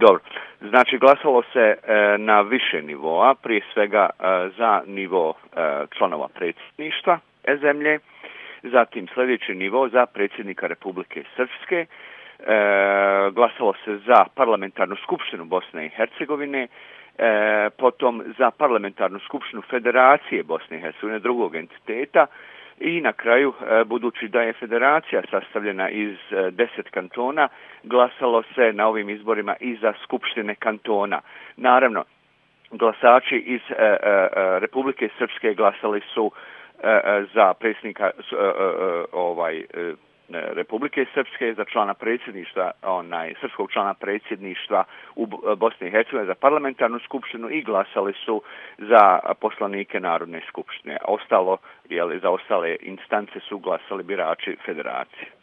Dobro, znači glasalo se na više nivoa, prije svega za nivo članova predsjedništva zemlje, zatim sljedeći nivo za predsjednika Republike Srpske, glasalo se za parlamentarnu skupštinu Bosne i Hercegovine, potom za parlamentarnu skupštinu Federacije Bosne i Hercegovine, drugog entiteta, i na kraju, budući da je federacija sastavljena iz 10 kantona, glasalo se na ovim izborima i za skupštine kantona. Naravno, glasači iz Republike Srpske glasali su za predsjednika Republike Srpske, za člana predsjedništva, srpskog člana predsjedništva u Bosni i Hercegovini, za parlamentarnu skupštinu i glasali su za poslanike Narodne skupštine. Ostalo, za ostale instance su glasali birači federacije.